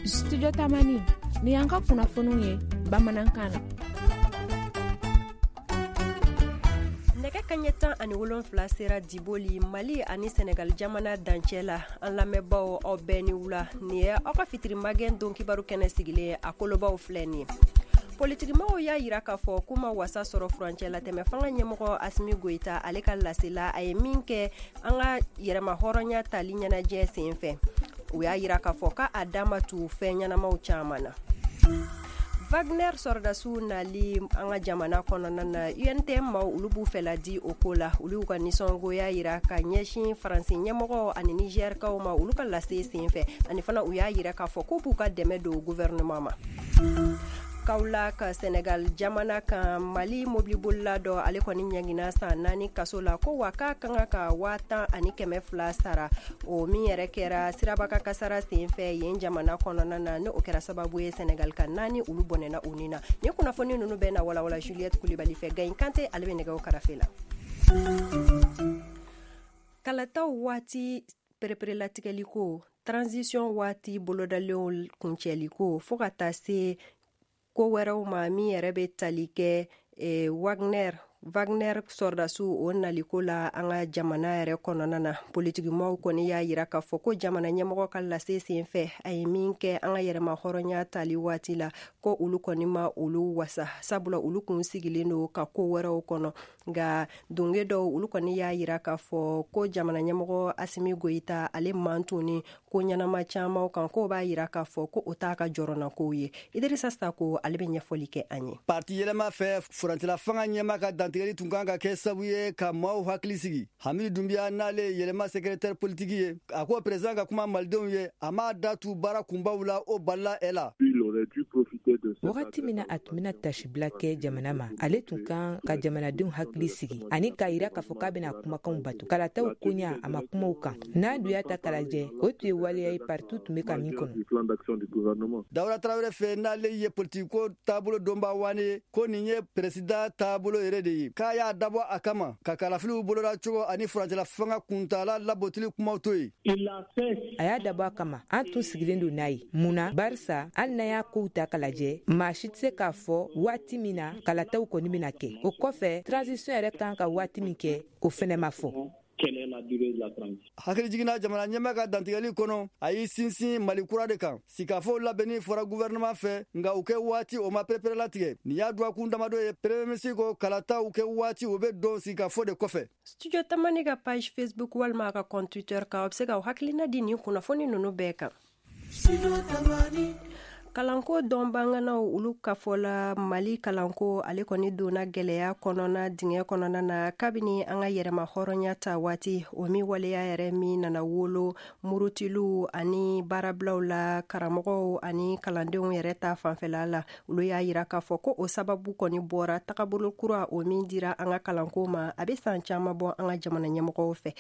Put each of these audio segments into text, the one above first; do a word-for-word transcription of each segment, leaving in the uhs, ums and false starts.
Studio Tamani, ni y'an ka kunnafoniw ye bamanankan na. Nɛgɛ kaɲɛ tan ani wolonfila sera Diboli, Mali ani Senegal jamana dancɛ la. An lamɛnbaw, aw bɛɛ ni wula. Nin ye aw ka fitiri magɛn don kibaru kɛnɛ sigilen ye. A kolobaw filɛ nin ye: politikimaw y'a yira k'a fɔ k'u ma wasa sɔrɔ furancɛ latɛmɛ fanga ɲɛmɔgɔ Asimi Goyita, ale ka lasela a ye min kɛ an ka yɛrɛma hɔrɔnya tali ɲɛnajɛ sen fɛ. U y'a yira k'a fɔ k'a da ma tu fɛn ɲɛnamaw caman na. Wagner sɔrɔdasiw nali an ka jamana kɔnɔna na, U N T M maaw, olu b'u fɛla di o ko la. Olu y'u ka nisɔngoya yira ka ɲɛsin Faransi ɲɛmɔgɔ ani Nizɛrikaw ma olu ka lase sen fɛ. Ani fana, u y'a yira k'a fɔ k'u b'u ka dɛmɛ don gouvernement ma. Kaolack, Senegal jamana kan, Mali mobilibolila dɔ, ale kɔni ɲangina san naani kaso la, ko wa k'a ka kan ka waa tan ani kɛmɛ fila sara, o min yɛrɛ kɛra sirabaka kasara sen fɛ yen jamana kɔnɔna na, ni o kɛra sababu ye Senegal ka naani olu bɔnɛna u ni na. Nin kunnafoni ninnu bɛɛ na walawala Juliette Kulibali fɛ. Gayin Kante, ale bɛ nɛgɛw karafe la. Kalataw waati pereperelatigɛli ko, transition waati bolodalenw kuncɛli ko, fo ka taa se ko wɛrɛw ma min yɛrɛ bɛ tali kɛ eh, Wagner Wagner sɔrɔdasiw o naliko la an ka jamana yɛrɛ kɔnɔna na, politikimaw kɔni y'a yira k'a fɔ ko jamana ɲɛmɔgɔ ka lase sen fɛ a ye min kɛ an ka yɛrɛma hɔrɔnya tali waati la, ko olu kɔni ma olu wasa, sabula olu kun sigilen don ka ko wɛrɛw kɔnɔ. Nka donge dɔw, olu kɔni y'a yira k'a fɔ ko jamana ɲɛmɔgɔ Asimi Goyita, ale man tuni ko ɲɛnama camanw kan, k'o b'a yira k'a fɔ ko o t'a ka jɔrɔnakow ye. Idirisa Sako, ale bɛ ɲɛfɔli kɛ an ye. Parti yɛlɛma fɛ, furancɛla fanga ɲɛma ka dantigɛli tun kan ka kɛ sabu ye ka maaw hakili sigi. Hamidu Dunbiya, n'ale ye Yɛlɛma secrétaire politique ye, a ko président ka kuma malidenw ye, a m'a da tu baara kunbaw la, o balila ɛ la. Wagati min na a tun bɛna tasibila kɛ jamana ma, ale tun kan ka jamanadenw hakili sigi ani k'a yira k'a fɔ k'a bɛna kumakanw bato. Kalataw koɲa, a ma kumaw kan. N'a dun y'a ta k'a lajɛ, o tun ye waleya ye partiw tun bɛ ka min kɔnɔ. Dawuda Tarawele fɛ, n'ale ye politiko taabolo dɔnba wane ye, ko nin ye président taabolo yɛrɛ de ye, k'a y'a dabɔ a kama ka kalafiliw boloda cogo ani furancɛla fanga kuntala labotili kumaw to yen. A y'a dabɔ a kama, an tun sigilen don n'a ye. Mun na? Barisa hali n'an y'a kow ta k'a lajɛ, maa si tɛ se k'a fɔ waati min na kalataw kɔni bɛna kɛ. O kɔfɛ, transition yɛrɛ kan ka waati min kɛ, o fɛnɛ ma fɔ. Hakili jiginna jamana ɲɛma ka dantigɛli kɔnɔ, a y'i sinsin Mali kura de kan. Sigikafɔw labɛnni fɔra gouvernement fɛ, nka u kɛ waati, o ma pereperelatigɛ. Nin y'a dɔgɔkun damadɔ ye premier ministre ko kalataw kɛ waati, o bɛ dɔn sigikafɔ de kɔfɛ. Studio Tamani ka page Facebook walima a ka compte Twitter kan, aw bɛ se k'aw hakilina di nin kunnafoni ninnu bɛɛ kan. Kalanko dɔnbaganaw, olu ka fɔ la, Mali kalanko, ale kɔni donna gwɛlɛya kɔnɔna dingɛ kɔnɔna na kabini an ka yɛrɛma hɔrɔnya ta waati, o min waleya yɛrɛ min nana wolo murutiliw ani baarabilaw la karamɔgɔw ani kalandenw yɛrɛ ta fanfɛla la. Olu y'a yira k'a fɔ ko o sababu kɔni bɔra tagabolo kura o min dira an ka kalanko ma, a bɛ san caman bɔ, an ka jamana ɲɛmɔgɔw fɛ.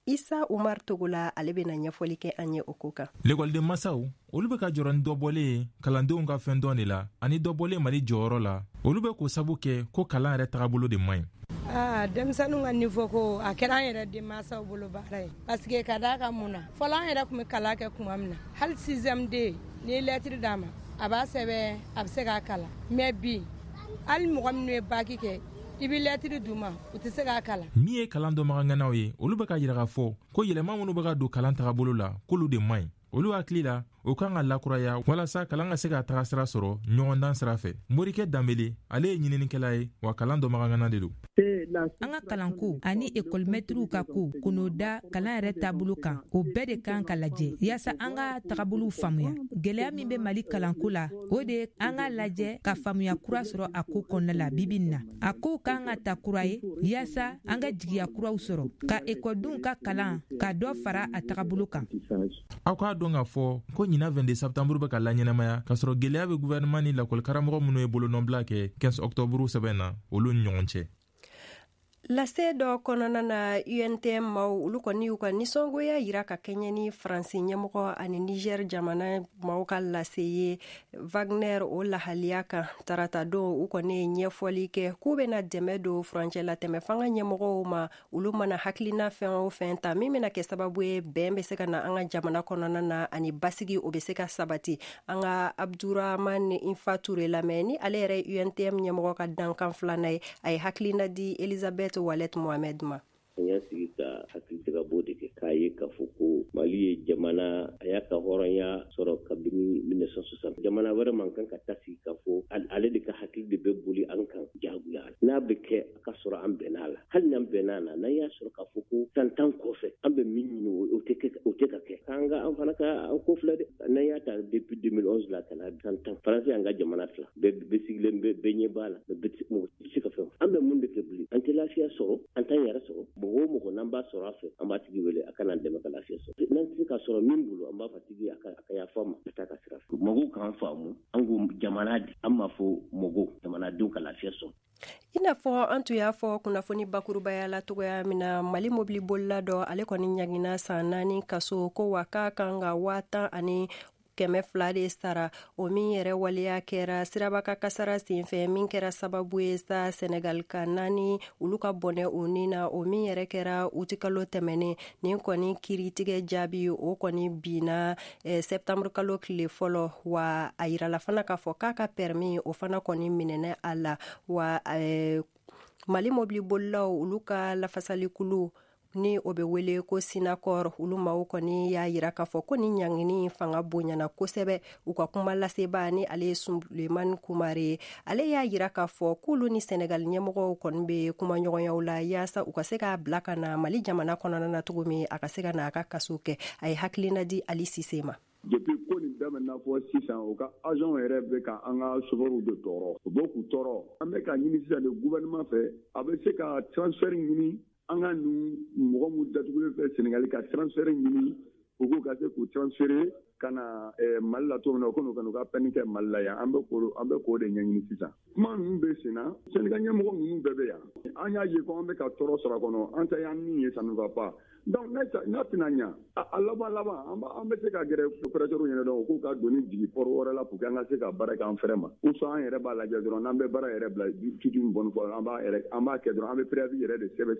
Isa Umar Togola, ale bɛna ɲɛfɔli kɛ an ye o ko kan. Lekɔliden masaw, olu bɛ ka jɔrɔ ni dɔbɔlen ye kalandenw ka fɛn dɔn de la ani dɔbɔlen Mali jɔyɔrɔ la. Olu bɛ k'o sabu kɛ ko kalan yɛrɛ tagabolo de man ɲi. Aa, denmisɛnninw ka niveau ko, a kɛra an yɛrɛ denmansaw bolo baara ye, parce que ka d'a kan mun na, fɔlɔ an yɛrɛ tun bɛ kalan kɛ tuma min na, hali sixième D, n'i ye lettre d'a ma, a b'a sɛbɛn, a bɛ se k'a kalan. Mais bi, hali mɔgɔ minnu ye bac kɛ, i bɛ lettre d'u ma, u tɛ se k'a kalan. Min ye kalan dɔnbagaŋanaw ye, olu bɛ ka yira k'a fɔ ko yɛlɛma minnu bɛ ka don kalan tagabolo la, k'olu de man ɲi. Olu hakili la, o kan ka lakuraya walasa kalan ka se ka taga sira sɔrɔ ɲɔgɔndan sira fɛ. Morikɛ Danbele, ale ye ɲininikɛla ye, wa kalan dɔnbagaŋana de don. An ka kalanko ani ekɔlimɛtiriw ka ko k'o da kalan yɛrɛ taabolo kan, o bɛɛ de kan ka lajɛ yaasa an ka tagabolow faamuya. Gwɛlɛya min bɛ Mali kalanko la, o de ye an ka lajɛ ka faamuya kura sɔrɔ a ko kɔnɔna la. Bibi nin na, a kow kan ka ta kura ye yaasa an ka jigiya kuraw sɔrɔ ka ekɔlidenw ka kalan ka dɔ fara a tagabolo kan. Aw k'a dɔn k'a fɔ ko ɲina vingt-deux septembre bɛ ka laɲɛnamaya k'a sɔrɔ gwɛlɛya bɛ gouvernement ni lakɔlikaramɔgɔ minnu ye bolonɔbila kɛ quinze octobre sɛbɛn na, olu ni ɲɔgɔn cɛ. Lase dɔ kɔnɔna na, U N T M maaw, olu kɔni y'u ka nisɔngoya yira ka kɛɲɛ ni Faransi ɲɛmɔgɔ ani Niger jamana maaw ka lase ye Wagner o lahaliya kan tarata don. U kɔni ye ɲɛfɔli kɛ k'u bɛna dɛmɛ don furancɛlatɛmɛ fanga ɲɛmɔgɔw ma, olu mana hakilina fɛn o fɛn ta min bɛna kɛ sababu ye bɛn bɛ se ka na an ka jamana kɔnɔna na ani basigi, o bɛ se ka sabati. An ka Abduraman Infa Ture lamɛn, ni ale yɛrɛ U N T M ɲɛmɔgɔ ka dankan filanan ye. A ye hakilina di Elizabeth Walet Mohamed ma. An y'a sigi ka hakilijagabɔ de kɛ k'a ye k'a fɔ ko Mali ye jamana, a y'a ka hɔrɔnya sɔrɔ kabini mille neuf cent soixante. Jamana wɛrɛ man kan ka taa sigi k'a fɔ ale de ka hakili de bɛ boli an kan jagoya. N'a bɛ kɛ, a ka sɔrɔ an bɛn'a la. Hali n'an bɛn'a na, n'an y'a sɔrɔ k'a fɔ ko san tan kɔfɛ, an bɛ min ɲini, o tɛ o tɛ ka kɛ, k'an ka an fana ka an ko filɛ dɛ. N'an y'a ta depuis deux mille onze la ka na san tan, Faransi y'an ka jamana fila bɛɛ bɛ sigilen bɛ, bɛɛ ɲɛ b'a la, bɛɛ mɔgɔ tɛ se ka fɛn. An bɛ mun de kɛ bilen? An tɛ lafiya sɔrɔ, an t'an yɛrɛ sɔrɔ. Mɔgɔ o mɔgɔ n'an b'a sɔrɔ a fɛ, an b'a tigi wele a ka n'an dɛmɛ ka lafiya sɔrɔ. N'an tɛ se ka sɔrɔ min bolo, an b'a fɔ tigi a ka a ka yafa ma, ka taa ka sira fɛ. Mɔgɔw k'an faamu, an ko jamana di, an m'a fɔ mɔgɔw, jamanadenw ka lafiya sɔrɔ. I n'a fɔ an tun y'a fɔ kunnafoni bakurubaya la togoya min na, Mali mobili bolila dɔ, ale kɔni ɲagina san naani kaso ko wa k'a kan ka waa tan ani kɛmɛ fila de sara. O min yɛrɛ waleya kɛra sirabaka kasara senfɛ, min kɛra sababu ye sa Senegal ka naani olu ka bɔnɛ o ni na, o min yɛrɛ kɛra utikalo tɛmɛnen. Nin kɔni kiiritigɛ jaabi, o kɔni binna eh, septembre kalo tile fɔlɔ. Wa a yirala fana k'a fɔ k'a ka permis, o fana kɔni minɛnɛ a la. Wa eh, Mali mobili bolilaw olu ka lafasalikulu, ni o bɛ wele ko Synacor, olu maaw kɔni y'a yira k'a fɔ ko ni ɲangini fanga bonyana kosɛbɛ. U ka kuma laseba, ni ale ye Sulemani Kumare, ale y'a yira k'a fɔ k'olu ni Sɛnɛgali ɲɛmɔgɔw kɔni bɛ kumaɲɔgɔnyaw la yaasa u ka se k'a bila ka na Mali jamana kɔnɔna na cogo min a ka se ka na a ka kaso kɛ. A ye hakilina di Ali Sise ma. Depuis ko nin daminɛna fɔ sisan, u ka agent yɛrɛ bɛ ka an ka chauffeur de tɔɔrɔ, u bɛ k'u tɔɔrɔ. An bɛ ka ɲini sisan de gouvernement fɛ, a bɛ se ka transfert ɲini an ka nin mɔgɔ min datugulen fɛ Senegali, ka transfert ɲini u k'u ka se k'u transférer ka na Mali la cogo min na, u ka n'u ka n'u ka peine kɛ Mali la yan. An bɛ k'o an bɛ k'o de ɲɛɲini sisan. Kuma ninnu bɛ sen na, syndicat ɲɛmɔgɔ ninnu bɛɛ bɛ yan. An y'a ye ko an bɛ ka tɔɔrɔ sɔrɔ a kɔnɔ, an ta y'an min ye, ça ne va pas. Donc n'a tɛna ɲa, a laban laban, an bɛ se ka gɛrɛ opérateur ɲɛna dɔrɔn, u k'u ka doni jigin port wɛrɛ la pour que an ka se ka baara kɛ an fɛrɛ ma, ou soit an yɛrɛ b'a lajɛ dɔrɔn, n'an bɛ baara yɛrɛ bila toute une bonne fois, an b'a yɛrɛ an b'a kɛ dɔrɔn, an bɛ préavis yɛrɛ de sɛbɛn,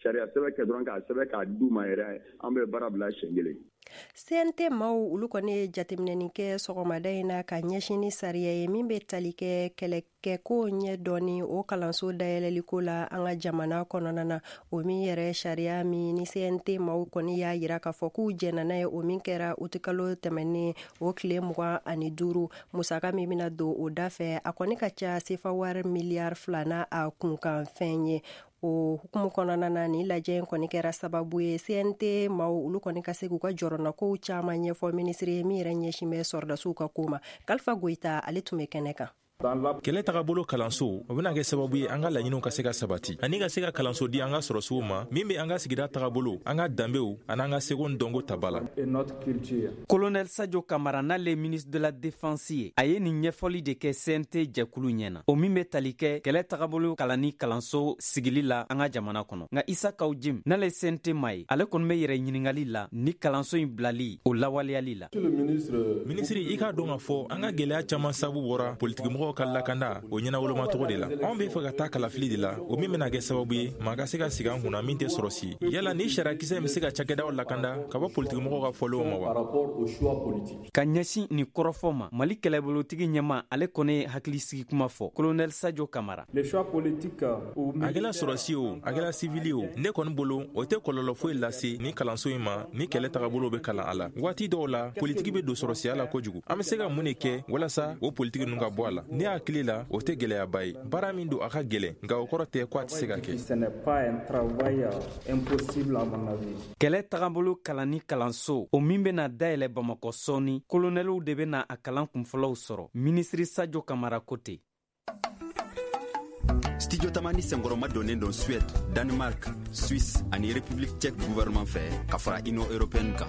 sariya sɛbɛn kɛ dɔrɔn, k'a sɛbɛn k'a d'u ma yɛrɛ, an bɛ baara bila siɲɛ kelen. C N T maaw, olu kɔni ye jateminɛni kɛ sɔgɔmada in na ka ɲɛsin ni sariya ye min bɛ tali kɛ kɛlɛkɛko ɲɛ dɔɔni o kalanso dayɛlɛliko la an ka jamana kɔnɔna na. O min yɛrɛ sariya min ni C N T maaw kɔni y'a yira k'a fɔ k'u jɛnna n'a ye, o min kɛra utikalo tɛmɛnen o tile mugan ani duuru. Musaka min bɛna don o da fɛ, a kɔni ka ca sefa wari miliyari fila n'a a kunkan fɛn ye. O hukumu kɔnɔna na, ni lajɛ in kɔni kɛra sababu ye C N T maaw, olu kɔni ka se k'u ka jɔrɔnakow caman ɲɛfɔ minisiri ye min yɛrɛ ɲɛsin bɛ sɔrɔdasiw ka ko ma. Kalifa Goyita, ale tun bɛ kɛnɛ kan. Kɛlɛ tagabolo kalanso, o bena kɛ sababu ye an ka laɲiniw ka se ka sabati ani ka se ka kalanso di an ka sɔrɔsiw ma min be an ka sigida tagabolo, an ka danbew ani an ka seko ni dɔnko taba la. Colonel Sadio Kamara, n'ale ministre de la Défense ye, a ye nin ɲɛfɔli de kɛ C N T jɛkulu ɲɛna, o min be tali kɛ kɛlɛ tagabolo kalanni kalanso sigili la an ka jamana kɔnɔ. Nka Isa Kaw Jim, n'ale C N T ma ye, ale kɔni be yɛrɛ ɲiningali la ni kalanso in bilali o lawaleyali la. Minisiri, i k'a dɔn k'a fɔ an ka gwɛlɛya caaman sabu bɔra politikimɔgɔw ka lakanda o ɲɛnawolomacogo de la. Anw be fɛ ka taa kalafili de la, o min bena kɛ sababu ye maa ka se ka sigi an kunna min tɛ sɔrɔsi. Yala ni sariyakisɛ be se ka cakɛdaw lakanda ka bɔ politikimɔgɔw ka fɔlenw ma wa? Ka ɲɛsin nin kɔrɔfɔ ma, Mali kɛlɛbolotigi ɲɛma, ale kɔni ye hakilisigi kuma fɔ. Colonel Sadio Kamara. A kɛla sɔrɔsi o, a kɛla sivili o, ne kɔni bolo, o tɛ kɔlɔlɔ foyi lase ni kalanso in ma ni kɛlɛ tagabolo bɛ kalan a la. Waati dɔw la, politiki be don sɔrɔsiya la kojugu. An be se ka mun de kɛ walasa o politiki ninnu ka bɔ a la? Ne hakili la, o tɛ gwɛlɛyaba ye. Baara min don, a ka gwɛlɛn, nka o kɔrɔ tɛ ko a tɛ se ka kɛ. Kɛlɛ tagabolo kalanni kalanso, o min bena dayɛlɛ Bamakɔ sɔɔni, kolonɛliw de bena a kalan kunfɔlɔw sɔrɔ. Minisiri Sajo Kamara ko ten. Studio Tamani senkɔrɔma donnen don Suède, Danemark, Suisse ani République tchèque gouvernement fɛ ka fara Union européenne kan.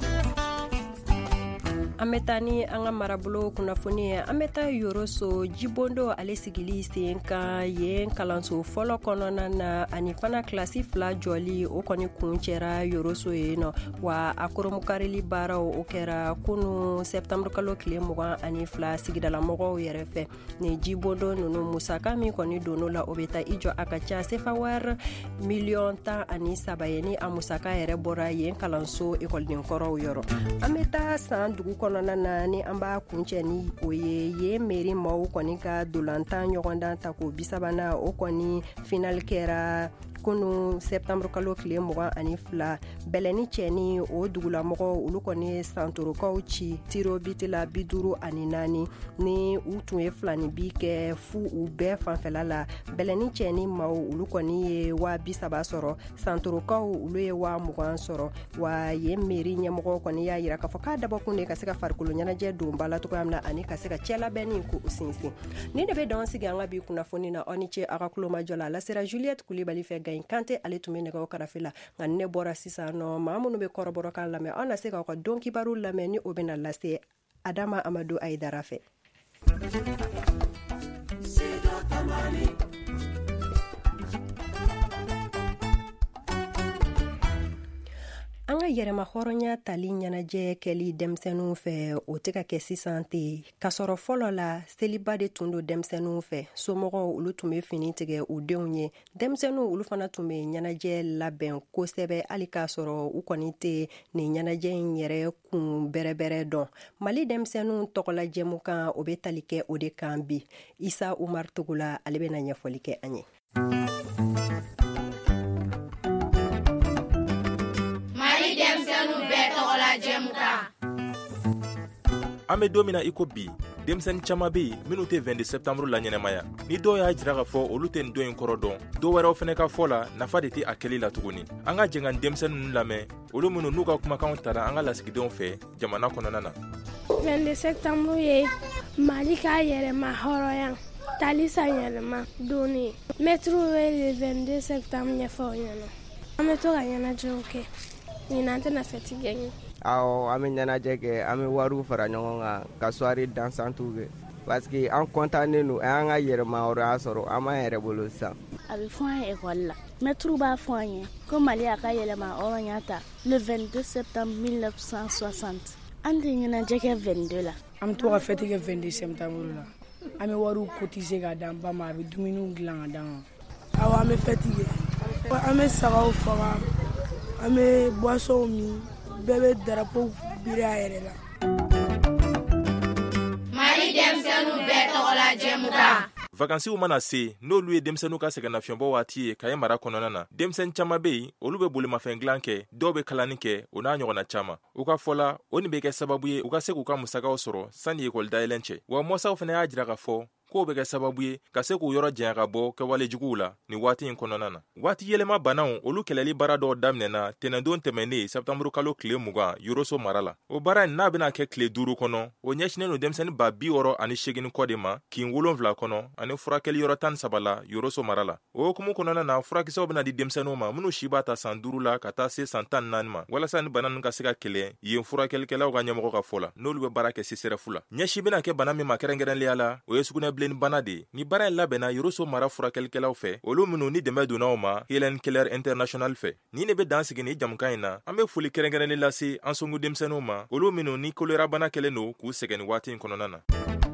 An bɛ taa ni an ka marabolo kunnafoni ye. An bɛ taa Yoroso jibondo ale sigili sen kan yen kalanso fɔlɔ kɔnɔna na, ani fana kilasi fila jɔli o kɔni kun cɛra Yoroso yen nɔ. Wa a koromukarili baaraw o kɛra kunu septembre kalo tile mugan ani fila sigidalamɔgɔw yɛrɛ fɛ. Ni jibondo ninnu musaka min kɔni donn'o la, o bɛ taa i jɔ a ka ca sefa wari miliyɔn tan ani saba ye, ni a musaka yɛrɛ bɔra yen kalanso ekɔliden kɔrɔw yɔrɔ. An bɛ taa san dugu kɔnɔna na ni an b'a kuncɛ ni o ye yen mairie maaw kɔni ka dolantan ɲɔgɔndan ta ko bisabanan o kɔni final kɛra kunu septembre kalo tile mugan ani fila. Bɛlɛni cɛni o dugulamɔgɔw olu kɔni ye santorokaw ci tiro biti la bi duuru ani naani, ni u tun ye filani bi kɛ fu u bɛɛ fanfɛla la. Bɛlɛni cɛni maaw olu kɔni ye waa bi saba sɔrɔ, santorokaw olu ye waa mugan sɔrɔ. Wa yen mairie ɲɛmɔgɔw kɔni y'a yira k'a fɔ k'a dabɔkun de ka se ka farikolo ɲɛnajɛ don ba la cogoya min na, ani ka se ka cɛlabɛnni k'o sinsin. Ni de bɛ dan sigi an ka bi kunnafoni na. Aw ni ce aw ka kulomajɔ la. A lasera Juliette Kulibali fɛ, Gayin Kante ale tun bɛ nɛgɛw karafe la. Nka ne bɔra sisan nɔ, maa minnu bɛ kɔrɔbɔrɔkan lamɛn, aw na se k'aw ka don kibaru lamɛn ni o bɛna lase Adama Amadu Ayidara fɛ. An ka yɛrɛma hɔrɔnya tali ɲɛnajɛ kɛli denmisɛnninw fɛ, o tɛ ka kɛ sisan ten. K'a sɔrɔ fɔlɔ la, seliba de tun don denmisɛnninw fɛ. Somɔgɔw olu tun bɛ fini tigɛ u denw ye. Denmisɛnninw olu fana tun bɛ ɲɛnajɛ labɛn kosɛbɛ, hali k'a sɔrɔ u kɔni tɛ nin ɲɛnajɛ in yɛrɛ kun bɛrɛbɛrɛ dɔn. Mali denmisɛnninw tɔgɔla jɛmukan o bɛ tali kɛ o de kan bi. Isa Umar Togola ale bɛna ɲɛfɔli kɛ an ye. An bɛ don min na i ko bi, denmisɛnnin caman bɛ yen minnu tɛ vingt-deux septembre la ɲɛnamaya. Ni dɔw y'a jira k'a fɔ olu tɛ nin don in kɔrɔ dɔn, dɔw wɛrɛw fana ka fɔ la nafa de tɛ a kɛli la tuguni. An ka jɛ ka denmisɛnnin ninnu lamɛn, olu minnu n'u ka kumakanw tara an ka lasigidenw fɛ jamana kɔnɔna na. vingt-deux septembre ye Mali ka yɛrɛma hɔrɔnya tali san yɛlɛma don ye. Mɛtiriw bɛ le vingt-deux septembre ɲɛfɔ aw ɲɛna. An bɛ to ka ɲɛnajɛw kɛ. Ɲinan tɛna fɛti gagner. Awɔ, an bɛ ɲɛnajɛ kɛ, an bɛ wariw fara ɲɔgɔn kan ka soirée dansante kɛ, parce que an content don, an y'an ka yɛrɛmahɔrɔnya sɔrɔ, an b'an yɛrɛ bolo sisan. A bɛ fɔ an ye école la, mɛtiriw b'a fɔ an ye ko Mali y'a ka yɛlɛmahɔrɔnya ta le vingt-deux septembre mille neuf cent soixante. An tɛ ɲɛnajɛ kɛ vingt-deux la. An bɛ to ka fête kɛ vingt-deux septembre la. An bɛ wariw cotiser k'a d'an ba ma, a bɛ dumuniw dilan ka d'an ma. Awɔ, an bɛ fête kɛ. An bɛ sagaw faga, an bɛ boissons min, bɛɛ bɛ drapeau biri a yɛrɛ la. Mali denmisɛnninw bɛɛ tɔgɔla jɛmukan. Vacances mana se, n'olu ye denmisɛnninw ka sɛgɛnnafiɲɛbɔ waati ye Kaye mara kɔnɔna na, denmisɛnnin caman bɛ yen, olu bɛ bolimafɛn dilan kɛ, dɔw bɛ kalani kɛ, o n'a ɲɔgɔnna caman. U ka fɔ la, o nin bɛ kɛ sababu ye u ka se k'u ka musakaw sɔrɔ sanni ekɔli dayɛlɛn cɛ. Wa mɔsaw fana y'a jira k'a fɔ k'o bɛ kɛ sababu ye ka se k'u yɔrɔ janya ka bɔ kɛwale juguw la nin waati in kɔnɔna na. Waati yɛlɛma banaw olu kɛlɛli baara dɔw daminɛna tɛnɛndon tɛmɛnen septembre kalo tile mugan Yoroso mara la. O baara in n'a bɛna kɛ tile duuru kɔnɔ, o ɲɛsinnen don denmisɛnnin ba bi wɔɔrɔ ani seegin kɔ de ma kin wolonwula kɔnɔ ani furakɛli yɔrɔ tan ni saba la Yoroso mara la. O hukumu kɔnɔna na, furakisɛw bɛna di denmisɛnninw ma minnu si b'a ta san duuru la ka taa se san tan ni naani ma, walasa ni bana ninnu ka se ka kɛlɛ yen furakɛlikɛlaw ka ɲɛmɔgɔ ka fɔ la, n'olu bɛ baara kɛ C S R F la. Ɲɛsin bɛna kɛ bana min ma kɛrɛnkɛrɛnnenya la, o ye sugunɛbilenni bana de ye. Ni baara in labɛnna Yoroso mara furakɛlikɛlaw fɛ, olu minnu ni dɛmɛ donna u ma Hélène Keller International fɛ. Nin de bɛ dan sigi ni jamukan in na. An bɛ foli kɛrɛnkɛrɛnnen lase an songo denmisɛnninw ma, olu minnu ni kolera bana kɛlen don k'u sɛgɛn nin waati in kɔnɔna na.